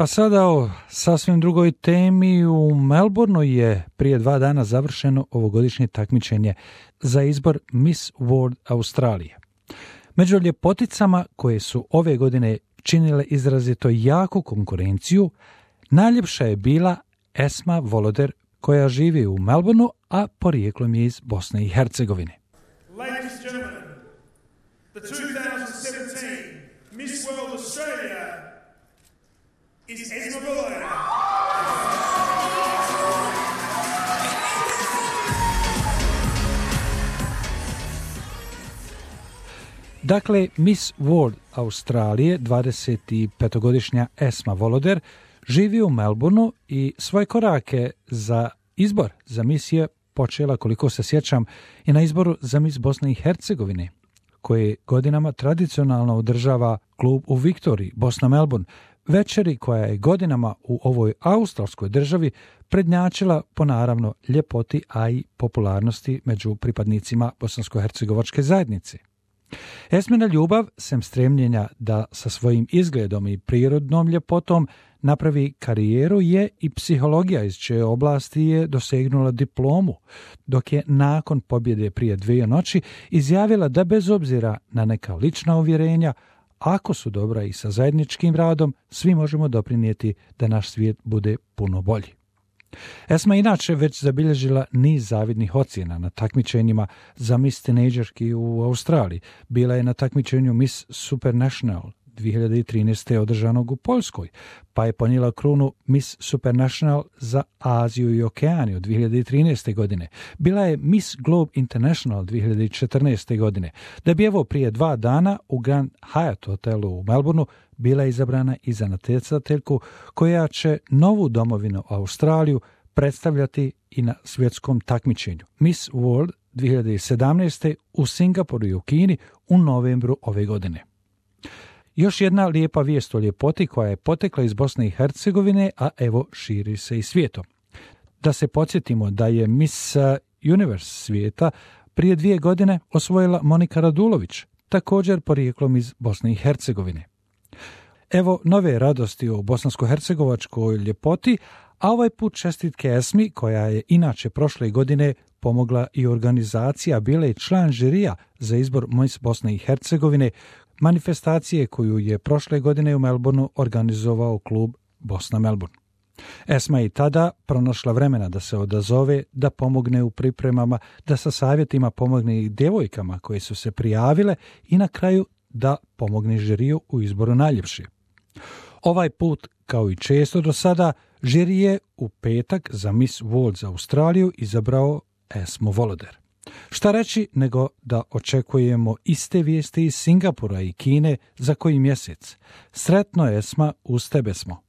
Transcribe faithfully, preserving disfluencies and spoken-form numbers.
A sada o sasvim drugoj temi. U Melbourneu je prije dva dana završeno ovogodišnje takmičenje za izbor Miss World Australije. Među ljepoticama koje su ove godine činile izrazito jaku konkurenciju, najljepša je bila Esma Voloder, koja živi u Melbourneu, a porijeklom je iz Bosne i Hercegovine. Ladies and gentlemen, the twenty seventeen Miss World Australia is Esma Voloder. Dakle, Miss World Australije, dvadesetpetogodišnja Esma Voloder, živi u Melbourneu i svoje korake za izbor za Miss je počela, koliko se sjećam, i na izboru za Miss Bosne i Hercegovine, koje godinama tradicionalno održava klub u Viktoriji, Bosna Melbourne, večeri koja je godinama u ovoj australskoj državi prednjačila po naravno ljepoti, a i popularnosti među pripadnicima bosansko-hercegovačke zajednice. Esmina ljubav, sem stremljenja da sa svojim izgledom i prirodnom ljepotom napravi karijeru, je i psihologija, iz čije oblasti je dosegnula diplomu, dok je nakon pobjede prije dvije noći izjavila da bez obzira na neka lična uvjerenja, ako su dobra i sa zajedničkim radom, svi možemo doprinijeti da naš svijet bude puno bolji. Esma inače već zabilježila niz zavidnih ocjena na takmičenjima za Miss Tinejdžerki u Australiji. Bila je na takmičenju Miss Supernational dvije hiljade trinaeste. održanog u Poljskoj, pa je ponijela krunu Miss Supernational za Aziju i Okeaniju dvije hiljade trinaeste. godine. Bila je Miss Globe International dvije hiljade četrnaeste. godine, da bi evo prije dva dana u Grand Hyatt hotelu u Melbourneu bila izabrana i za natjecateljku koja će novu domovinu Australiju predstavljati i na svjetskom takmičenju Miss World dvije hiljade sedamnaeste. u Singapuru i u Kini u novembru ove godine. Još jedna lijepa vijest o ljepoti koja je potekla iz Bosne i Hercegovine, a evo širi se i svijetom. Da se podsjetimo da je Miss Universe svijeta prije dvije godine osvojila Monika Radulović, također porijeklom iz Bosne i Hercegovine. Evo nove radosti o bosansko-hercegovačkoj ljepoti, a ovaj put čestitke Esmi, koja je inače prošle godine pomogla i organizacija, bila je član žirija za izbor Miss Bosne i Hercegovine, manifestacije koju je prošle godine u Melbourneu organizovao klub Bosna Melbourne. Esma je i tada pronašla vremena da se odazove, da pomogne u pripremama, da sa savjetima pomogne i djevojkama koje su se prijavile i na kraju da pomogne žiriju u izboru najljepše. Ovaj put, kao i često do sada, žiri je u petak za Miss World za Australiju izabrao Esmu Voloder. Šta reći nego da očekujemo iste vijesti iz Singapura i Kine za koji mjesec. Sretno, Esma, uz tebe smo.